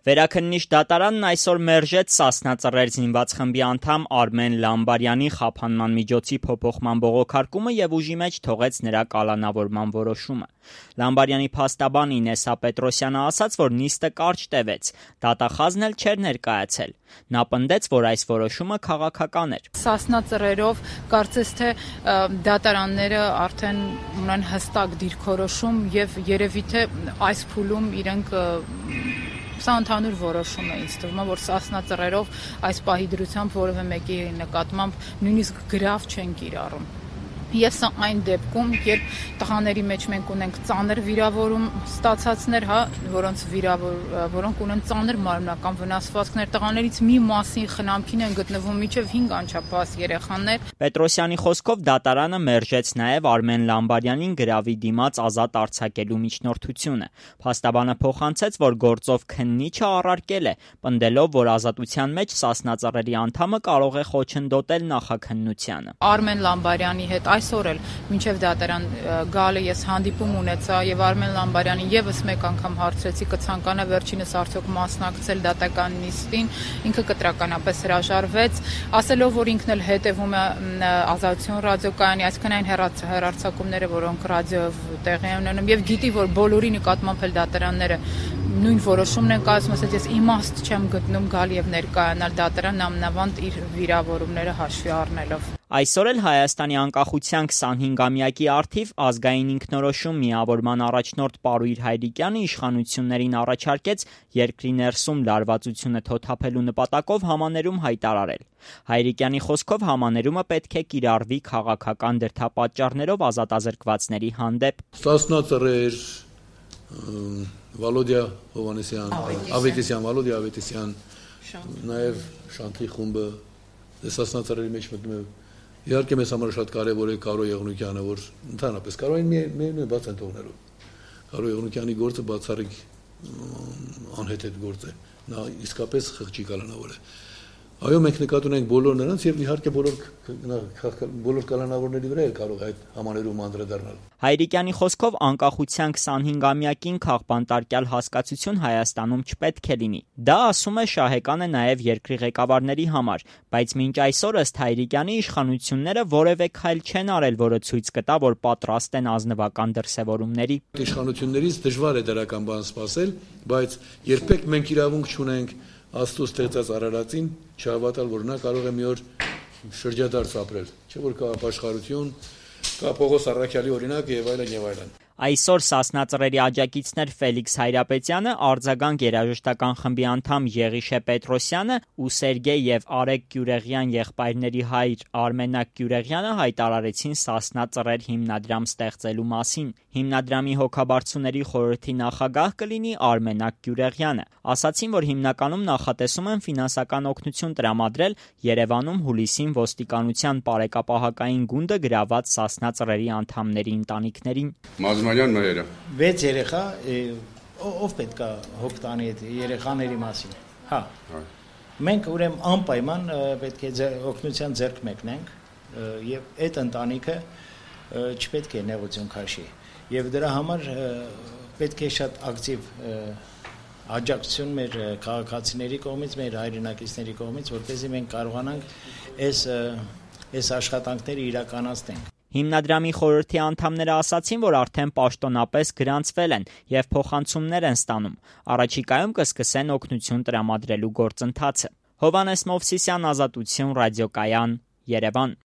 Վերաքննիչ դատարանն այսօր մերժեց Սասնա Ծռեր զինված խմբի անդամ Արմեն Լամբարյանի խափանման միջոցի փոփոխման բողոքարկումը և ուժի մեջ թողեց նրա կալանավորման որոշումը։ Լամբարյանի փաստաբան Ինեսա Պետրոսյանը ասաց, որ նիստը կարճ տևեց, դատախազն էլ չէր ներկայացել։ Նա պնդեց, որ այս որոշումը քաղաքական էր։ Սասնա Ծռերով կարծես թե դատարանները արդեն ունեն հստակ դիրքորոշում և երևի թե այս փուլում իրենք Սա ընդհանուր որոշում է ինձ թվում, որ Սասնա Ծռերով այս պահի դրությամբ որևէ մեկի նկատմամբ նույնիսկ գրավ չեն կիրառում։ Եվ սա այն դեպքում, երբ տղաների մեջ մենք ունենք ծանր վիրավորում ստացածներ, որոնք ունեն ծանր մարմնական վնասվածքներ, տղաներից մի մասին խնամքին են գտնվում մինչև 5 անչափահաս երեխաներ։ Պետրոսյանի խոսքով դատարանը մերժեց նաև Արմեն Լամբարյանին գրավի դիմաց ազատ արձակելու միջնորդությունը։ Փաստաբանը փոխանցեց, որ գործով քննիչը առարկել է, պնդելով, որ ազատության մեջ Սասնա Ծռերի անդամը կարող է խոչընդոտել նախաքննությանը։ Արմեն Լամբարյանի հետ այսօր էլ մինչև դատարան գալը ես հանդիպում ունեցա եւ Արմեն Լամբարյանին եւս մեկ անգամ հարցրեցի կցանկանա վերջինս արդյոք մասնակցել դատական նիստին, ինքը կտրականապես հրաժարվեց, ասելով, որ ինքն էլ հետևում է Ազատություն ռադիոկայանի, այսինքն այն հեռարձակումները, որոնք ռադիոյով տեղի են ունենում եւ գիտի, որ բոլորի նկատմամբ էլ դատարանները նույն որոշումն են կայացնում, ասած ես իմաստ չեմ գտնում գալ եւ ներկայանալ դատարան նամանավանդ իր վիրավորումները հաշվի առնելով։ Այսօր էլ Հայաստանի անկախության 25-ամյակի առթիվ ազգային ինքնորոշում միավորման առաջնորդ Պարույր Հայրիկյանը իշխանություններին առաջարկեց երկրի ներսում լարվածությունը թոթափելու նպատակով համաներում հայտարարել։ Հայրիկյանի խոսքով համաներումը պետք է կիրառվի քաղաքական դրդապատճառներով ազատազրկվածների հանդեպ։ Սասնա Ծռեր, Վալոդիա Հովհաննիսյան, Վալոդիա Ավետիսյան, նաև Շանթի խումբը Սասնա Ծռերի մեջ մտնում է։ Իհարկե մեզ համար շատ կարևոր է Կարո Եղունյանը, որ ընդհանրապես Կարոյին միայն բաց են թողնելու։ Կարո Եղունյանի գործը բացառիկ անհեթեթ գործ է։ Նա իսկապես խղճի կալանավոր է։ Այո, մենք նկատի ունենք բոլոր նրանց եւ իհարկե բոլոր կալանավորների վրա էլ կարող է այդ համաներում անդրադառնալ։ Հայրիկյանի խոսքով անկախության 25-ամյակին քաղբանտարկյալ հասկացություն Հայաստանում չպետք է լինի։ Դա ասում է շահեկան է նաև երկրի ղեկավարների համար, բայց մինչ այսօր ըստ Հայրիկյանի իշխանությունները որևէ քայլ չեն արել, որը ցույց կտա, որ պատրաստ են ազնվական դրսևորումների։ Իշխանություններից դժվար է դրական բան սպասել, բայց երբեք մենք իրավունք չունենք Աստծո ստեղծած արարածին չհավատալ, որ նա կարող է մի օր շրջադարձ ապրել, չէ՞ որ կա ապաշխարություն, կա Պողոս Առաքյալի օրինակը եւ այլն եւ այլն։ Այսօր Սասնա Ծռերի աջակիցներ Ֆելիքս Հայրապետյանը, Արձագանք երաժշտական խմբի անդամ Եղիշե Պետրոսյանը ու Սերգեյ եւ Արեգ Գյուրեղյան եղբայրների հայր Արմենակ Գյուրեղյանը հայտարարեցին Սասնա Ծռեր հիմնադրամ ստեղծելու մասին։ Հիմնադրամի հոգաբարձուների խորհրդի նախագահ կլինի Արմենակ Գյուրեղյանը։ Ասացին, որ հիմնականում նախատեսում են ֆինանսական օգնություն տրամադրել Երևանում հուլիսին ոստիկանության բարեկապահակային գունդը գրաված Սասնա Ծռերի անդամների ընտանիքներին։ Մազմանյան մայրը 6 երեխա, ով պետք է հոգ տանի այդ երեխաների մասին։ Հա։ Մենք ուրեմն անպայման պետք է օգնության ձեռք մեկնենք եւ այդ ընտանիքը չպետք է նեղություն քաշի։ Եվ դրա համար պետք է շատ ակտիվ աջակցություն մեր քաղաքացիների կողմից, մեր հայրենակիցների կողմից, որպեսզի մենք կարողանանք այս աշխատանքները իրականացնենք։ Հիմնադրամի խորհրդի անդամները ասացին, որ արդեն պաշտոնապես գրանցվել են եւ փոխանցումներ են ստանում։ Առաջիկայում կսկսեն օգնություն տրամադրելու գործընթացը։ Հովհաննես Մովսիսյան, Ազատություն ռադիոկայան, Երևան։